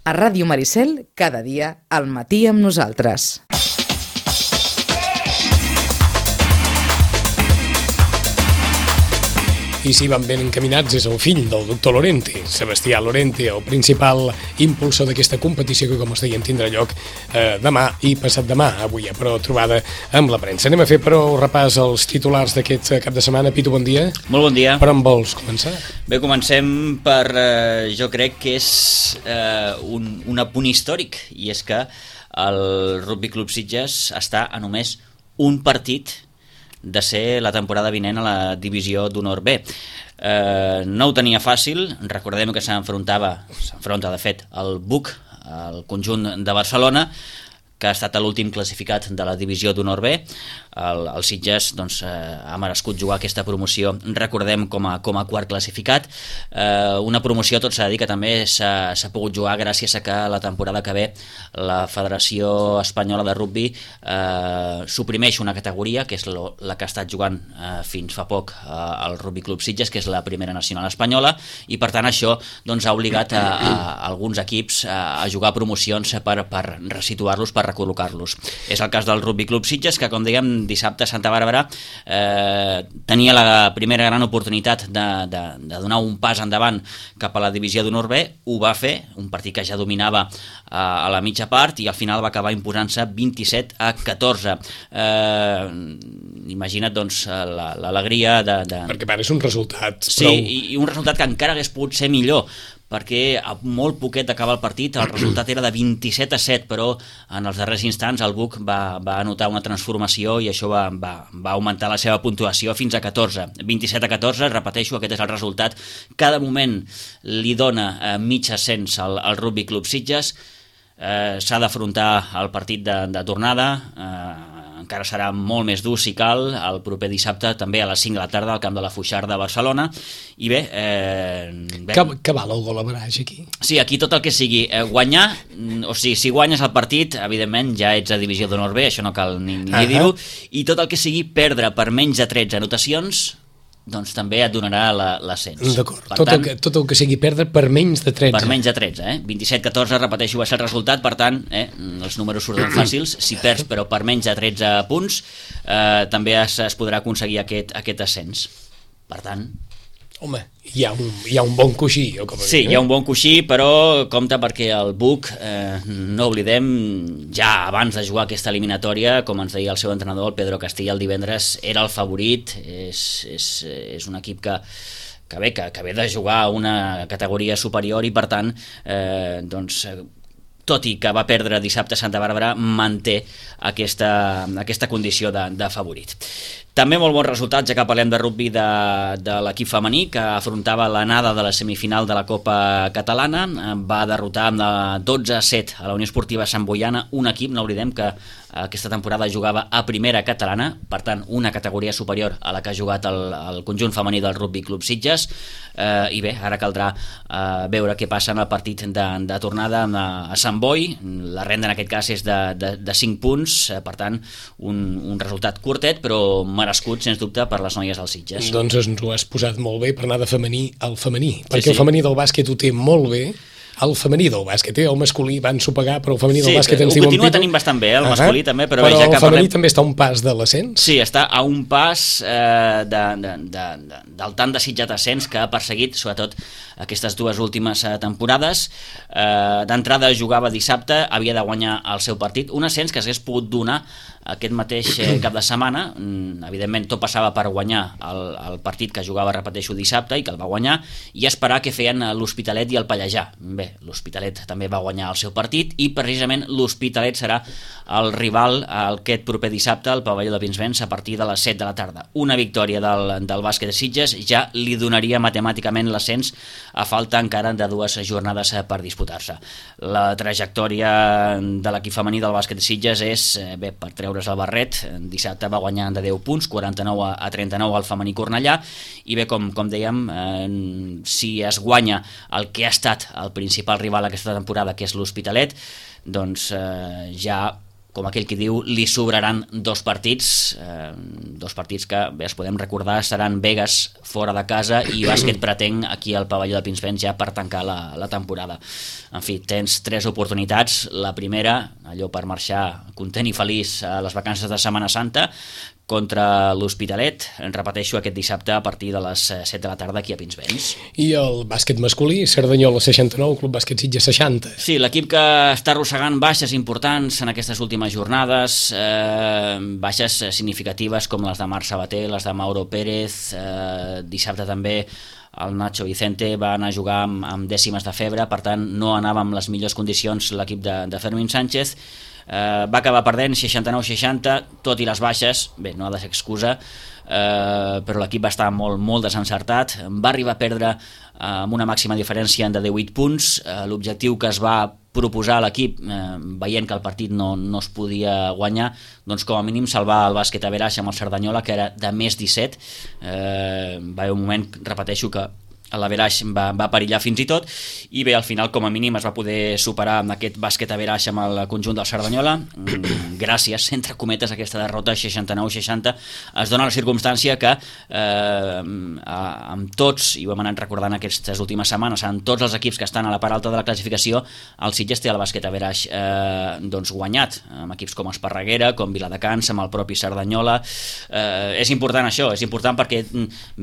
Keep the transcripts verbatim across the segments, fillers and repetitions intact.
A Ràdio Maricel, cada dia, al matí amb nosaltres. I si van ben encaminats és el fill del doctor Lorente, Sebastià Lorente, el principal impulsor d'aquesta competició que, com us deien, tindrà lloc eh, demà i passat demà. Avui hi ha però trobada amb la premsa. Anem a fer però repàs als titulars d'aquest cap de setmana. Pitu, bon dia. Molt bon dia. Per on vols començar? Bé, comencem per, eh, jo crec que és eh, un, un apunt històric, i és que el Rugby Club Sitges està a només un partit de ser la temporada vinent a la divisió d'honor B. Eh, no ho tenia fàcil, recordem que s'enfrontava, s'enfronta de fet el B U C, el conjunt de Barcelona, que ha estat l'últim classificat de la divisió d'honor B. El, el Sitges doncs, eh, ha merescut jugar aquesta promoció, recordem, com a, com a quart classificat. Eh, una promoció, tot s'ha de dir, que també s'ha, s'ha pogut jugar gràcies a que la temporada que ve la Federació Espanyola de Rugby eh, suprimeix una categoria, que és lo, la que ha estat jugant eh, fins fa poc eh, el Rugby Club Sitges, que és la primera nacional espanyola, i per tant això doncs, ha obligat a, a, a alguns equips a, a jugar promocions per, per resituar-los, per recol·locar-los. És el cas del Rugby Club Sitges, que, com dèiem, dissabte a Santa Bàrbara eh, tenia la primera gran oportunitat de, de, de donar un pas endavant cap a la divisió d'honor B. Ho va fer, un partit que ja dominava eh, a la mitja part, i al final va acabar imposant-se vint-i-set a catorze. Eh, imagina't doncs l'alegria de, de... Perquè ara és un resultat sí, prou... i, i un resultat que encara hagués pogut ser millor, perquè a molt poquet d'acaba el partit el resultat era de vint-i-set a set, però en els darrers instants el B U C va, va anotar una transformació i això va, va, va augmentar la seva puntuació fins a catorze. vint-i-set a catorze, repeteixo, aquest és el resultat. Cada moment li dona eh, mig ascens al, al Rugby Club Sitges. Eh, s'ha d'afrontar el partit de, de tornada, eh, encara serà molt més dur si cal, el proper dissabte també a les cinc de la tarda al camp de la Foixarda de Barcelona. I bé... Eh, bé que, que val el gol average aquí? Sí, aquí tot el que sigui eh, guanyar, o sigui, si guanyes el partit, evidentment ja ets a divisió d'honor B, això no cal ni, ni uh-huh. dir-ho, i tot el que sigui perdre per menys de tretze anotacions, doncs també et donarà l'ascens. D'acord, tot, tant, el que, tot el que sigui perdre per menys de tretze. Per menys de tretze, eh? vint-i-set a catorze, repeteixo, va ser el resultat, per tant, eh, els números surten fàcils, si perds però per menys de tretze punts, eh, també es, es podrà aconseguir aquest, aquest ascens. Per tant... Home, hi ha un, hi ha un bon coixí. O com sí, dir, eh? hi ha un bon coixí, però compte perquè el B U C, eh, no oblidem, ja abans de jugar aquesta eliminatòria, com ens deia el seu entrenador, el Pedro Castilla, el divendres, era el favorit. És, és, és un equip que, que, bé, que, que ve de jugar a una categoria superior i, per tant, eh, doncs... tot i que va perdre dissabte a Santa Bàrbara, manté aquesta, aquesta condició de, de favorit. També molt bons resultats, ja que parlem de rugby de, de l'equip femení, que afrontava l'anada de la semifinal de la Copa Catalana. Va derrotar amb dotze a set a la Unió Esportiva Sant Boiana, un equip, no oblidem, que aquesta temporada jugava a primera catalana, per tant, una categoria superior a la que ha jugat el, el conjunt femení del Rugby Club Sitges. Eh, I bé, ara caldrà eh, veure què passa en el partit de, de tornada a, a Sant Boi. La renda en aquest cas és de, de, de cinc punts, eh, per tant, un, un resultat curtet, però merescut, sens dubte, per les noies del Sitges. Doncs ens ho has posat molt bé per anar de femení al femení, perquè sí, sí. El femení del bàsquet ho té molt bé. El femení del bàsquet, el masculí va ensopegar, però el femení del sí, bàsquet ens diuen... Sí, ho continua tenint bastant bé, el masculí uh-huh. també, però... Però bé, ja el que femení parlem... també està a un pas de l'ascens? Sí, està a un pas eh, de, de, de, de, del tant desitjat ascens que ha perseguit, sobretot, aquestes dues últimes eh, temporades. Eh, D'entrada jugava dissabte, havia de guanyar el seu partit, un ascens que s'hagués pogut donar aquest mateix eh, cap de setmana. Mm, evidentment, tot passava per guanyar el, el partit que jugava, repeteixo, dissabte, i que el va guanyar, i esperar què feien l'Hospitalet i el Pallejà. Bé, l'Hospitalet també va guanyar el seu partit, i precisament l'Hospitalet serà el rival aquest proper dissabte al pavelló de Pinsbens a partir de les set de la tarda. Una victòria del, del bàsquet de Sitges ja li donaria matemàticament l'ascens, a falta encara de dues jornades per disputar-se. La trajectòria de l'equip femení del bàsquet de Sitges és, bé, per treure's el barret, dissabte va guanyar de deu punts, quaranta-nou a trenta-nou al femení Cornellà, i bé, com, com dèiem, eh, si es guanya el que ha estat el principal rival aquesta temporada, que és l'Hospitalet, doncs eh, ja com aquell qui diu, li sobraran dos partits, eh, dos partits que, bé, es podem recordar, seran Vegas fora de casa i Bàsquet Pretenc aquí al pavelló de Pinsbens ja per tancar la, la temporada. En fi, tens tres oportunitats. La primera, allò per marxar content i feliç a les vacances de Setmana Santa, contra l'Hospitalet, repeteixo, aquest dissabte a partir de les set de la tarda aquí a Pinsbens. I el bàsquet masculí, Cerdanyola seixanta-nou, Club Bàsquet Sitges seixanta. Sí, l'equip que està arrossegant baixes importants en aquestes últimes jornades, eh, baixes significatives com les de Marc Sabater, les de Mauro Pérez, eh, dissabte també el Nacho Vicente va anar a jugar amb, amb dècimes de febre, per tant no anava amb les millors condicions l'equip de, de Fermín Sánchez. Uh, va acabar perdent seixanta-nou seixanta, tot i les baixes, bé, no ha de ser excusa, uh, però l'equip va estar molt, molt desencertat, va arribar a perdre uh, amb una màxima diferència de divuit punts, uh, l'objectiu que es va proposar a l'equip, uh, veient que el partit no, no es podia guanyar, doncs com a mínim salvar el bàsquet a Veraix amb el Cerdanyola, que era de més disset, uh, va haver un moment, repeteixo, que la Veraix va, va perillar fins i tot, i bé, al final com a mínim es va poder superar amb aquest bàsquet a Veraix amb el conjunt del Cerdanyola. Gràcies, entre cometes, aquesta derrota seixanta-nou seixanta es dona la circumstància que eh, amb tots, i ho hem anat recordant aquestes últimes setmanes, amb tots els equips que estan a la part alta de la classificació, el Sitges té el bàsquet a Veraix eh, doncs guanyat, amb equips com Esparreguera, com Viladecans, amb el propi Cerdanyola. Eh, és important això, és important perquè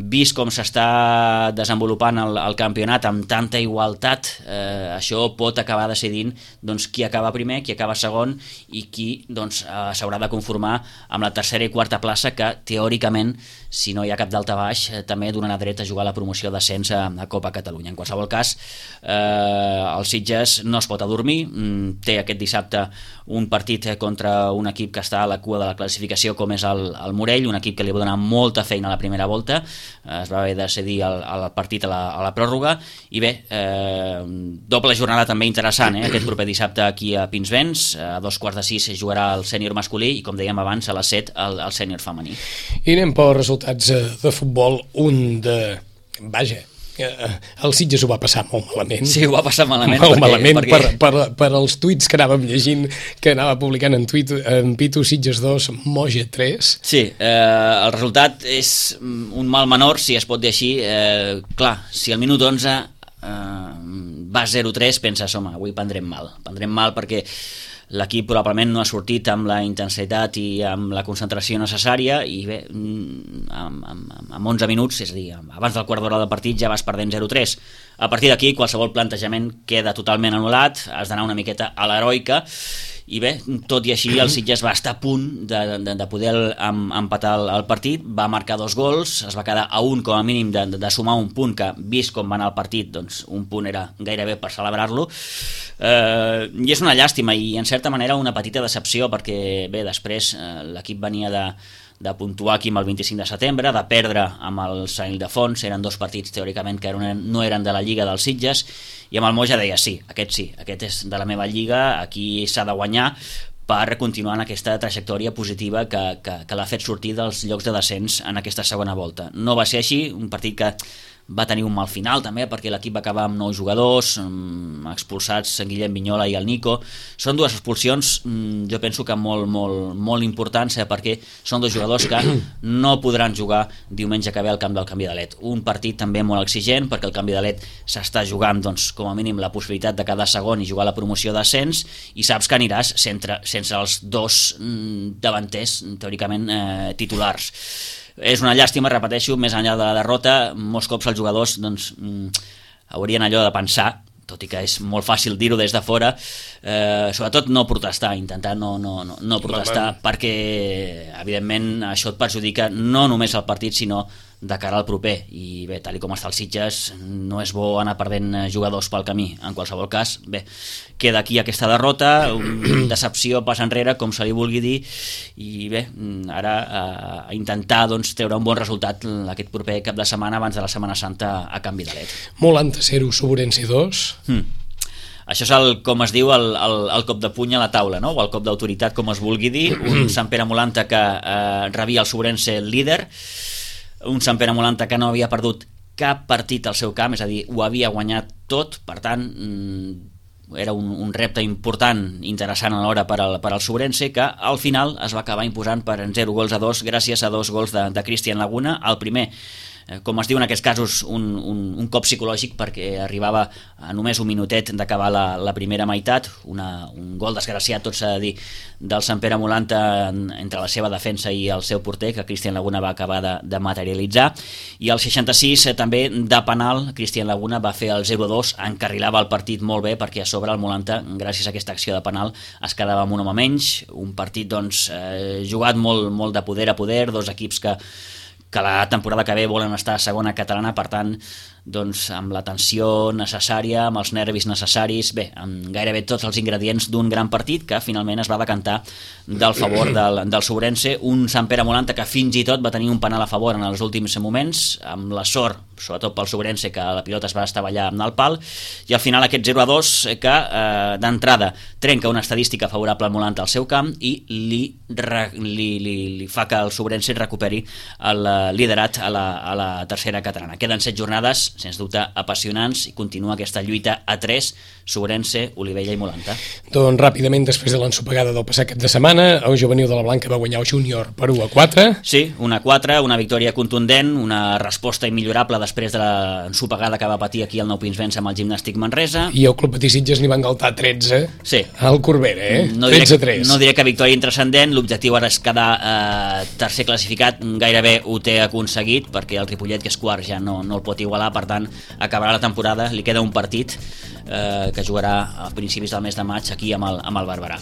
vist com s'està desenvolupant El, el campionat amb tanta igualtat, eh, això pot acabar decidint doncs, qui acaba primer, qui acaba segon i qui doncs, eh, s'haurà de conformar amb la tercera i quarta plaça, que teòricament, si no hi ha cap d'alta baix, eh, també donarà dret a jugar a la promoció d'ascens a, a Copa Catalunya. En qualsevol cas, eh, el Sitges no es pot adormir, té aquest dissabte un partit contra un equip que està a la cua de la classificació, com és el, el Morell, un equip que li va donar molta feina a la primera volta, eh, es va haver de cedir el, el partit a la, a la pròrroga, i bé, eh, doble jornada també interessant, eh, aquest proper dissabte aquí a Pinsbens, a dos quarts de sis jugarà el sènior masculí i, com dèiem abans, a les set el, el sènior femení. I anem per resultats de futbol, un de... Vaja, el Sitges ho va passar molt malament. Sí, ho va passar malament. Molt perquè, malament perquè... Per, per, per els tuits que anàvem llegint, que anava publicant en, tuit, en Pitu, Sitges dos, Moja tres. Sí, eh, el resultat és un mal menor, si es pot dir així. Eh, clar, si al minut onze eh, va zero tres, penses, home, avui prendrem mal. Prendrem mal perquè l'equip probablement no ha sortit amb la intensitat i amb la concentració necessària, i bé, amb, amb, amb onze minuts, és a dir, abans del quart d'hora del partit ja vas perdent zero tres. A partir d'aquí qualsevol plantejament queda totalment anul·lat, has d'anar una miqueta a l'heroica, i bé, tot i així el Sitges va estar a punt de, de, de poder em, empatar el, el partit, va marcar dos gols, es va quedar a un com a mínim de, de, de sumar un punt, que vist com va anar el partit, doncs un punt era gairebé per celebrar-lo, eh, i és una llàstima i en certa manera una petita decepció, perquè bé, després eh, l'equip venia de de puntuar aquí amb el vint-i-cinc de setembre, de perdre amb el Sant Ildefons, eren dos partits teòricament que eren, no eren de la Lliga dels Sitges, i amb el Moja deia sí, aquest sí, aquest és de la meva Lliga, aquí s'ha de guanyar per continuar en aquesta trajectòria positiva que, que, que l'ha fet sortir dels llocs de descens en aquesta segona volta. No va ser així, un partit que va tenir un mal final també, perquè l'equip va acabar amb nou jugadors expulsats, en Guillem Vinyola i el Nico. Són dues expulsions, jo penso que molt, molt, molt importants, eh, perquè són dos jugadors que no podran jugar diumenge que ve al camp del Canvi de Let. Un partit també molt exigent, perquè el Canvi de Let s'està jugant, doncs, com a mínim la possibilitat de cada segon i jugar a la promoció d'ascens, i saps que aniràs sense, sense els dos davanters teòricament eh, titulars. És una llàstima, repeteixo, més enllà de la derrota, molts cops els jugadors doncs, haurien allò de pensar, tot i que és molt fàcil dir-ho des de fora, eh, sobretot no protestar, intentar no, no, no, no protestar, perquè evidentment això et perjudica no només el partit, sinó de cara al proper, i bé, tal com està el Sitges, no és bo anar perdent jugadors pel camí. En qualsevol cas, bé, queda aquí aquesta derrota, una decepció pas enrere, com se li vulgui dir, i bé, ara a intentar doncs, treure un bon resultat aquest proper cap de setmana abans de la Setmana Santa a Can Vidalet. Molanta zero, Soborense dos. Hmm. Això és el, com es diu, el, el, el cop de puny a la taula, no? O el cop d'autoritat, com es vulgui dir, un Sant Pere Molanta que eh, rebia el Soborense líder, un Sant Pere Molanta que no havia perdut cap partit al seu camp, és a dir, ho havia guanyat tot, per tant, era un, un repte important, interessant alhora per al, per al Sobrense, que al final es va acabar imposant per zero gols a dos gràcies a dos gols de, de Cristian Laguna. El primer, com es diu en aquests casos, un, un, un cop psicològic, perquè arribava a només un minutet d'acabar la, la primera meitat, una, un gol desgraciat, tot s'ha de dir, del Sant Pere Molanta entre la seva defensa i el seu porter, que Cristian Laguna va acabar de, de materialitzar, i al seixanta-sis eh, també de penal Cristian Laguna va fer el zero dos, encarrilava el partit molt bé, perquè a sobre el Molanta, gràcies a aquesta acció de penal, es quedava amb un home menys, un partit doncs eh, jugat molt, molt de poder a poder, dos equips que que la temporada que ve volen estar a segona catalana, per tant, doncs, amb la tensió necessària, amb els nervis necessaris, bé, amb gairebé tots els ingredients d'un gran partit que finalment es va decantar del favor del, del Sobrense, un Sant Pere Molanta que fins i tot va tenir un penal a favor en els últims moments, amb la sort, sobretot pel Sobrense, que la pilota es va estavellar amb el pal, i al final aquest zero a dos que eh, d'entrada trenca una estadística favorable al Molanta al seu camp i li, li, li, li fa que el Sobrense recuperi el liderat a la, a la tercera catalana. Queden set jornades sens dubte apassionants, i continua aquesta lluita a tres, Sobrense, Olivella i Molanta. Doncs ràpidament, després de l'ensopegada del passat cap de setmana, el juvenil de la Blanca va guanyar el júnior per u a quatre. Sí, una quatre, una victòria contundent, una resposta immillorable després de l'ensopegada que va patir aquí el Nou Pinsbens amb el Gimnàstic Manresa. I el Club Patí Sitges n'hi va engaltar tretze sí. al Corbera, eh? No diré, tretze a tres. No diré que victòria intranscendent, l'objectiu ara és quedar eh, tercer classificat, gairebé ho té aconseguit, perquè el Ripollet, que és quart, ja no, no el pot igualar, per tant, acabarà la temporada, li queda un partit eh, que jugarà a principis del mes de maig aquí amb el, amb el Barberà.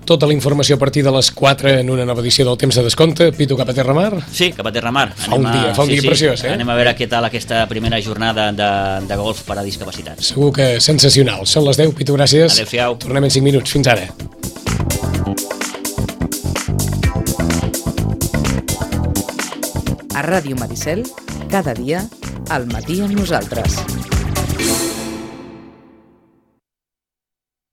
Tota la informació a partir de les quatre en una nova edició del Temps de Descompte. Pitu, cap a Terramar? Sí, cap a Terramar. Fa un dia, fa un sí, dia sí, preciós, eh? Anem a veure què tal aquesta primera jornada de, de golf per a discapacitats. Segur que sensacional. Són les deu, Pitu, gràcies. Adéu-siau. Tornem en cinc minuts. Fins ara. A Ràdio Maricel, cada dia, al matí amb nosaltres.